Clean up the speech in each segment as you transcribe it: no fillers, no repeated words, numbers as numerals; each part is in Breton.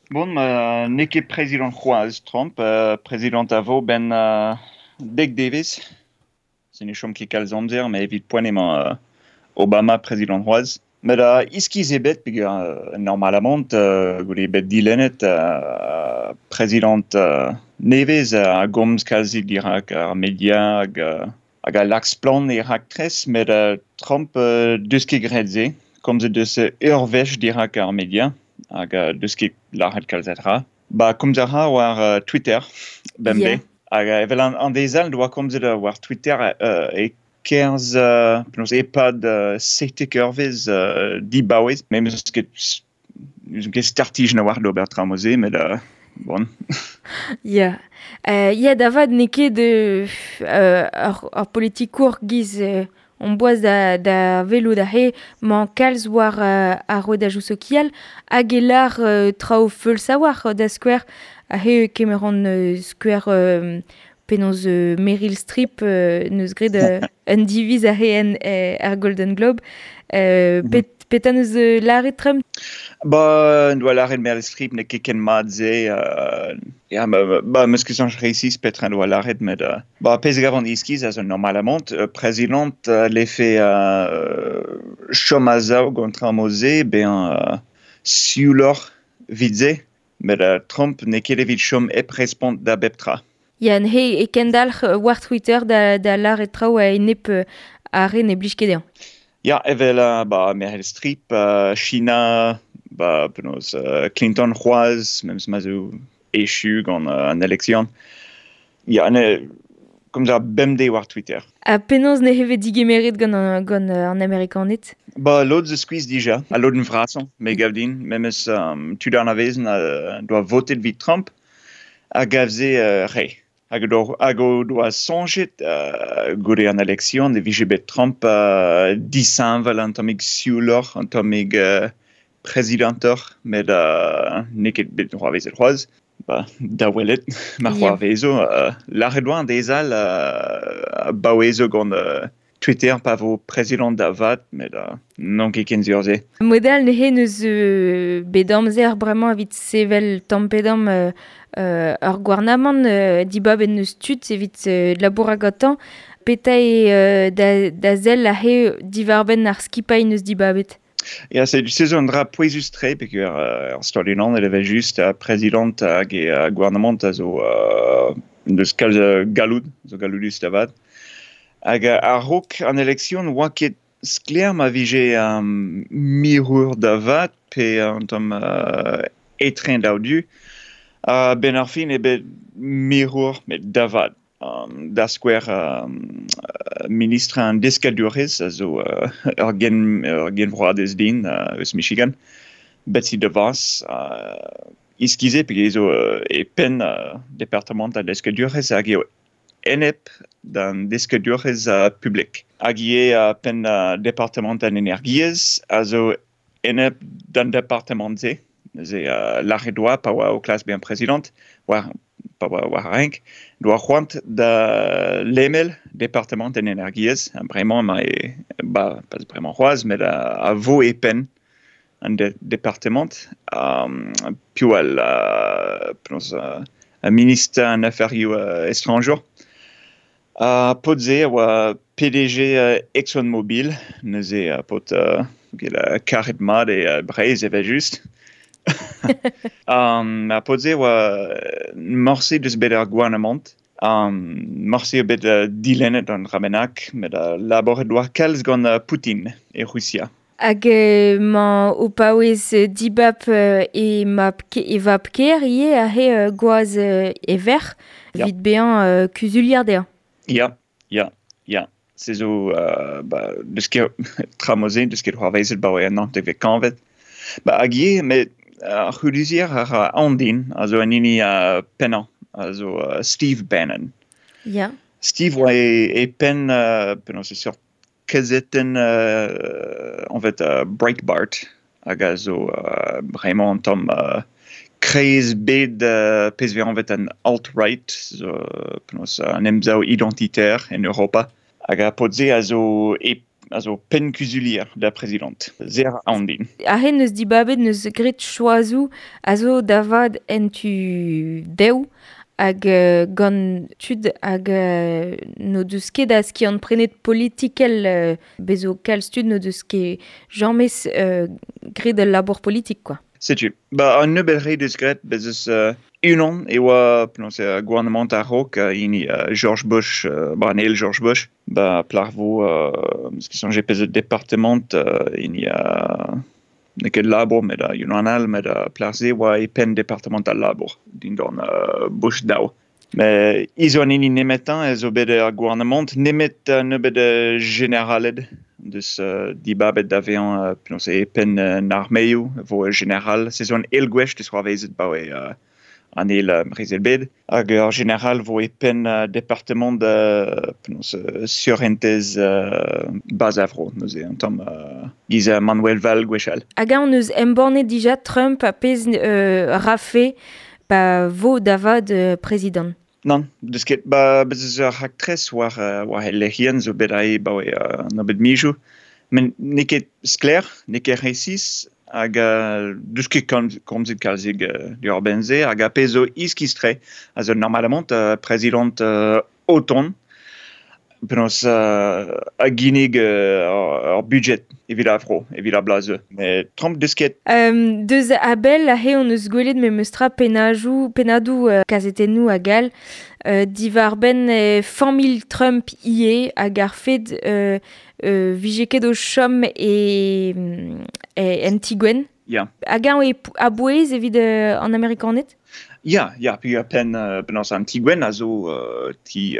Bon, ma n'eo ket prezidant c'hoazh Trump, prezidant a vo 'benn dek devezh. Se ne chom ket kalz amzer, met evit poent emañ Obama prezidant c'hoazh. Met iskis eo bet peogwir normalamant goude bet dilennet prezidant nevez a gomz kalzik dirak ar media hag hag a lak splann e raktres, met Trump 'deus ket graet se. Komzet deus ur wech dirak ar media hag 'deus ket lâret kalz a dra. Ba komz a ra war Twitter bemdez. Hag evel an deiz all 'doa komzet war Twitter e-kerzh penaos e-pad 17 eurvezh dibaouez. Me 'meus ket n'eus ket startijenn a-walc'h d'ober tra mod-se met bon. Ya. Ya da vat n'eo ket ur politikour giz on boaz da welout aze 'mañ kalz war ar rouedajoù sokial hag e lâr traoù feuls a-walc'h da skouer aze e kemeran skouer penaos Meryl Streep 'neus graet un diviz aze en er Golden Globe. Petra 'neus lâret Trump? Ba, en doa lâret Meryl Streep n'eo ket ken mat-se. Ya, ba, 'meus ket soñj resis petra en doa lâret, met ba, pezh a gavan iskis a zo normalamant prezidant 'lefe chom a-sav gant traoù mod-se, bezañ siouloc'h 'vit se. Met Trump n'eo ket evit chom hep respont da bep tra. Ya, neuze e kendalc'h war Twitter da lâret traoù a-enep ar re ne blij ket dezhañ. Ya, evel ba, Meryl Streep, China, ba, penaos, Clinton c'hoazh, memes ma zo echu gant an eleksion. Ya, ne, komz a bemdez war Twitter. Ha penaos ne vez digemeret gant an Amerikaned? Ba, lod zo skuizh dija, al lodenn vrasañ, me gav din, memes tud anavezen doa votet evit Trump, a gav se re. Hag o doa soñjet goude an eleksion e vije bet Trump disheñvel un tammig siouloc'h, un tammig prezidantoc'h, met n'eo ket bet c'hoarvezet c'hoazh. Ba, da welet ma c'hoarvezo. Lâret oa an deiz all a baouezo gant Twitter pa vo prezidant da vat, met n'on ket ken sur se. Mod all neuze n'eus bet amzer bremañ evit sevel tamm pe damm ur gouarnamant dibabet n'eus tud evit labourat gantañ. Petra eo da sell aze diwar-benn ar skipailh n'eus dibabet? Ya, se zo un dra pouezus-tre peogwir er Stadoù-Unanet evel-just prezidant hag e gouarnamant a zo deus kalz galloud, zo galloudus da vat. Hag a-raok an eleksion 'oa ket sklaer ma vije mirour da vat pe un tamm etre an daou du. A-benn ar fin eo bet mirour met da vat. Da skouer ministr an deskadurezh a zo ur genvroadez din eus Michigan, Betsy DeVos, iskis eo peogwir zo e penn departamant an deskadurezh hag eo enep d'an deskadurezh publik. Hag ivez penn departamant an energiezh a zo enep d'an departamant-se. Neuze lâret 'oa pa oa o klask bezañ prezidant, war pa oa war ar renk, doa c'hoant da lemel departamant an energiezh. Bremañ emañ e, ba, pas bremañ c'hoazh, met a vo e penn an departamant. Piv all penaos ministr an aferioù estrañjour. Ar paotr-se a oa PDG ExxonMobil, neuze paotr karet mat e Breizh evel-just. Ar paotr-se a oa morse deus bet ar gouarnamant. Morse eo bet dilennet an dra bennak, met labouret 'oa kalz gant Poutin e Rusia. Hag emañ o paouez dibab e mab e vab-kaer ivez aze gwaz e verc'h evit bezañ kuzulier dezhañ. Ya, ya, ya. Se zo ba, deus ket tra mod-se, deus ket c'hoarvezet 'baoe an naontekvet kantved. Ba, hag ivez, met ar c'huzulier a ra aon din, a zo an hini pennañ, a zo Steve Bannon. Ya. Steve oa e penn penaos e seurt kazetenn anvet Breitbart hag a zo bremañ un tamm kreiz bed pezh 'vez anvet an alt-right, zo penaos an emsav identitaire en Europa. Hag ar paotr-se a zo e a zo penn kuzulier da prezidant. Zer aon din. Ahe neus dibabet neus graet choazoù a zo da vat en tu dev hag gant tud hag n'o deus ket a skiant prenet politikel bezo kalz tud n'o deus ket james graet al labour politik, quoi. Setu. Ba, an nebeud re deus graet, bez eus unan e oa penaos eo gouarnamant a-raok hini George Bush, ba, an eil George Bush, ba plac'h vo, eus ket soñjet peseurt departement, hini n'eo ket labour met unan all, met plac'h-se oa e penn departamant al labour dindan Bush daou. Met hi zo an hini nemetañ ez zo bet er gouarnamant, nemet nebeud jeneraled deus dibabet da vezañ penaos eo e penn an armeoù vo jeneral. Se zo an eil gwech deus c'hoarvezet 'baoe an eil brezel-bed. Hag ur jeneral vo e penn departamant penaos surentez bas a vro neuze un tamm giz Manuel Valls gwechall. Hag eñ neus embannet dija Trump a pezh rafe pa vo da vat prezidant. Nann, deus ket. Ba, bez eus ur raktres war, war he lec'hienn zo bet aze 'baoe nebeud mizoù. Met n'eo ket sklaer, n'eo ket resis, hag deus ket komzet kalzik diwar-benn se. Hag ar pezh zo iskis-tre, a zo normalamant prezidant o tont, penaos a ginnig ur budget evit ar vro, evit ar bloaz zeu. Met Trump deus ket. Deus a-bell aze hon eus gwelet memestra pennajoù, pennadoù kazetennoù hag all diwar-benn familh Trump ivez hag ar fed vije ket o chom e, e en ti-gwenn. Ya. Hag eñ eo a-bouez evit an Amerikaned? Ya, ya, peogwir penn penaos an ti-gwenn a zo ti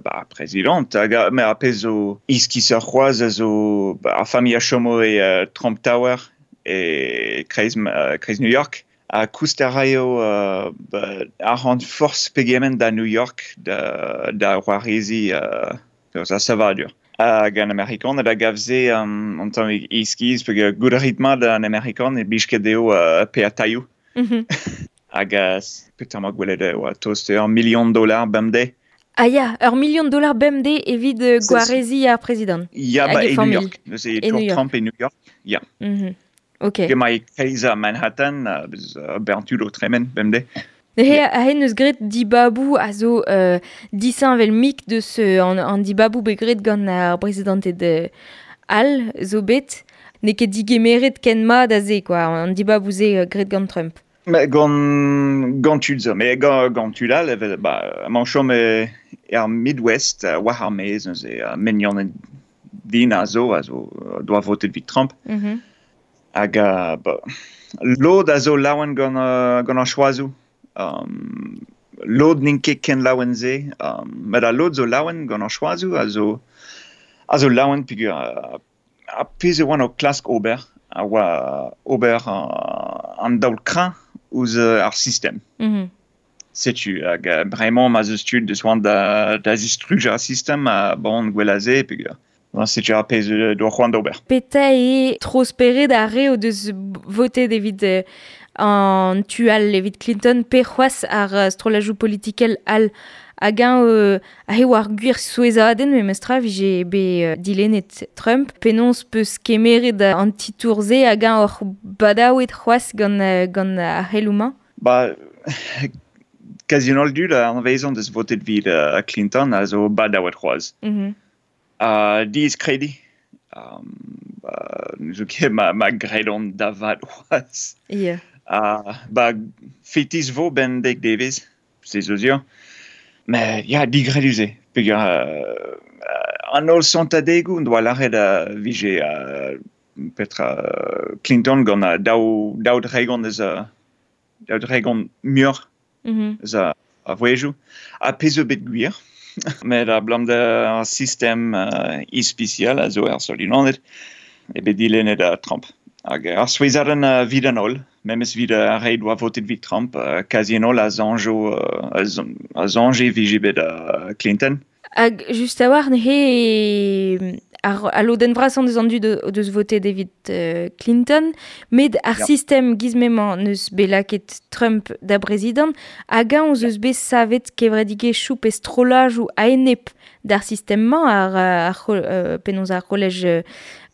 ba, prezidant hag met ar pezh zo iskisoc'h c'hoazh a zo ba, ar familh a chomo e Trump Tower e kreiz, kreiz New York ha koust a raio ba, arc'hant forzh pegement da New York da, da c'hoarezi eus ar savadur. Hag an Amerikaned a gav se an tammig iskis peogwir goût a rit mat an Amerikan e blij ket dezho paeañ tailhoù. Hag petra 'ma gwelet e oa tost ur million dollar bemdez. Ah ya, ur million dollar bemdez evit gwareziñ ar prezidant. Ya, Hag ba, e e New familh. York. Neuze E Tour New York. Trump e New York. Ya. Ok. Emañ e kreiz Manhattan, bez bern tud o tremen bemdez. Neuze aze neus graet dibaboù a zo disheñvel-mik deus an dibaboù bet graet gant ar brezidanted all zo bet. N'eo ket digemeret ken mat a se, quoi, an dibaboù-se graet gant Trump. Mais gant, gant tud zo, mais gant, gant tud all, evel, ba, emañ chom e, er Midwest, war ar maez, neuze, mignon din a zo, a zo, doa votet evit Trump. Hag ba, lod a zo laouen gant, gant ar choazoù. Lod n'int ket ken laouen se, met al lod zo laouen gant ar choazoù a zo, a zo laouen peogwir ar pezh e oant o klask ober a oa ober an daol kreñv ouzh ar sistem. Setu, hag bremañ ma 'z eus tud deus c'hoant da, da zistrujañ ar sistem, ha bon, gwell a se peogwir setu ar pezh doa c'hoant d'ober. Petra eo tro-spered ar re o deus votet evit an tu all evit Clinton pe c'hoazh ar strollajoù politikel all hag eñ aze oa ar gwir souezhadenn memestra vije bet dilennet Trump. Penaos peus kemeret an titour-se hag eñ oc'h badaouet c'hoazh gant, gant ar c'heloù-mañ? Ba, kazi an holl dud a anavezan deus votet evit Clinton a zo badaouet c'hoazh. Diaes krediñ. Ba, n'ouzon ket ma, ma gredont da vat c'hoazh. Yeah. Ba, fetis vo 'benn dek devezh, se zo sur. Met ya, digredus eo. Peogwir an holl sontadegoù en doa lâret vije petra Clinton gant daou, daou dregont eus daou dregont muioc'h eus a vouezhioù. Ha pezh zo bet gwir, met abalamour d'ar sistem ispisial a zo er Stadoù-Unanet eo bet dilennet Trump. Hag ar souezhadenn evit an holl, memes evit ar re doa votet evit Trump, kazi an holl a soñjo a soñje e vije bet Clinton. Hag just a-walc'h neuze Ar lodenn vrasañ deus an dud o deus votet evit Clinton, met ar sistem giz m'emañ neus bet lakaet Trump da brezidant, hag eñ eus bet savet kevredigezhioù pe strollajoù a-enep d'ar sistem-mañ, ar penaos ar c'hollej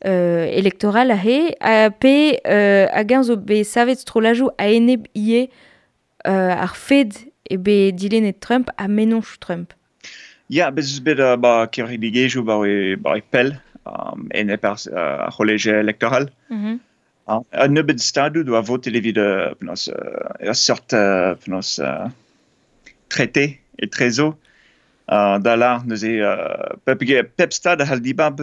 elektoral aze, pe hag eñ zo bet savet strollajoù a-enep ivez ar fed eo bet dilennet Trump ha mennozhioù Trump. Ya, bez eus bet ba kevredigezhioù ba pell enep ar c'hollej elektoral. Un nebeud stadoù doa votet evit penaos ur seurt penaos trete etrezo da lâr neuze pep stad a c'hall dibab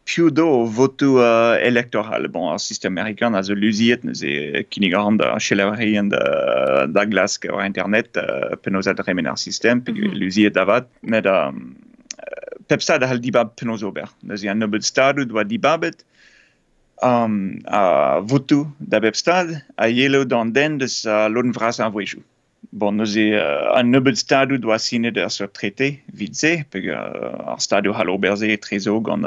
piv do o votoù elektoral. Bon, ar sistem amerikan a zo luziet, neuze kinnig a ran da selaouerien da glask war internet penaos a dremen ar sistem, pe luziet da vat. Met pep stad a c'hall dibab penaos ober. Neuze an nebeud stadoù doa dibabet a votoù da bep stad a yelo d'an den deus lodenn vrasañ ar vouezhioù. Bon, neuze an nebeud stadoù doa sinet ur seurt trete evit se, peogwir ar stadoù c'hall ober se etrezo gant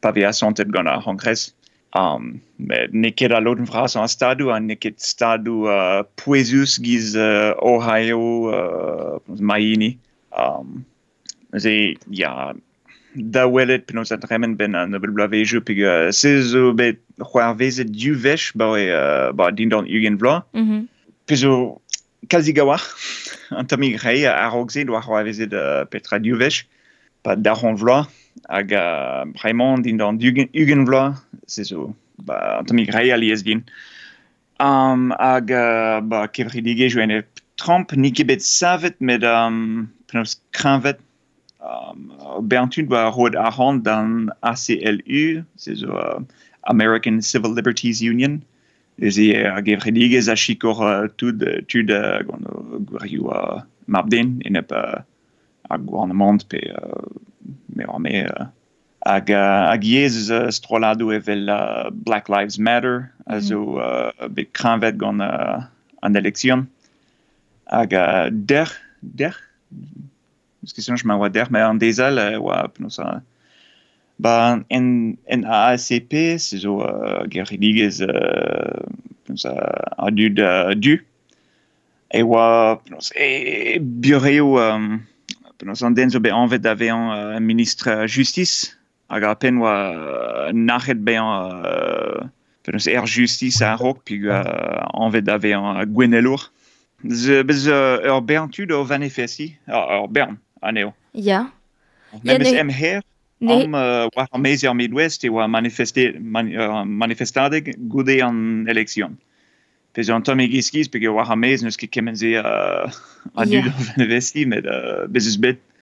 pa vez asantet gant ar C'hongres. Met n'eo ket al lodenn vrasañ ar stadoù ha n'eo ket stadoù pouezus giz Ohio, Maine. Neuze, ya, da welet penaos a dremen 'benn an nebeud bloavezhioù peogwir se zo bet c'hoarvezet div wech ba dindan 20 vloaz. Pezh zo kalzik a-walc'h un tammig re a-raok se doa c'hoarvezet petra div wech pa daou vloaz hag bremañ dindan 20 vloaz se zo ba un tammig re alies din. Hag ba kevredigezhioù enep Trump n'eo ket bet savet met penaos kreñvet bern tud oa roet arc'hant d'an ACLU, se zo American Civil Liberties Union, neuze ar gevredigezh a sikour tud tud gant o gwirioù mab-den enep ar gouarnamant pe me oar me hag ivez eus strolladoù evel Black Lives Matter a zo bet kreñvet gant an eleksion hag dec'h eus ket soñj ma oa dec'h met an deiz all e oa penaos ba en NAACP se zo gevredigezh penaos a dud du e oa penaos e burev penaos an den zo bet anvet da vezañ ministr justis hag ar penn oa nac'het bezañ penaos er justis a-raok peogwir anvet da vezañ gouennelour. Bez ur bern tud o vanifestiñ, ur bern anezho. Ya. Memes em c'hêr, am war ar maez er Midwest e oa manifestadeg goude an eleksion. Pezh zo un tammig iskis peogwir war ar maez n'eus ket kement-se a dud o vanifestiñ, met bez eus bet.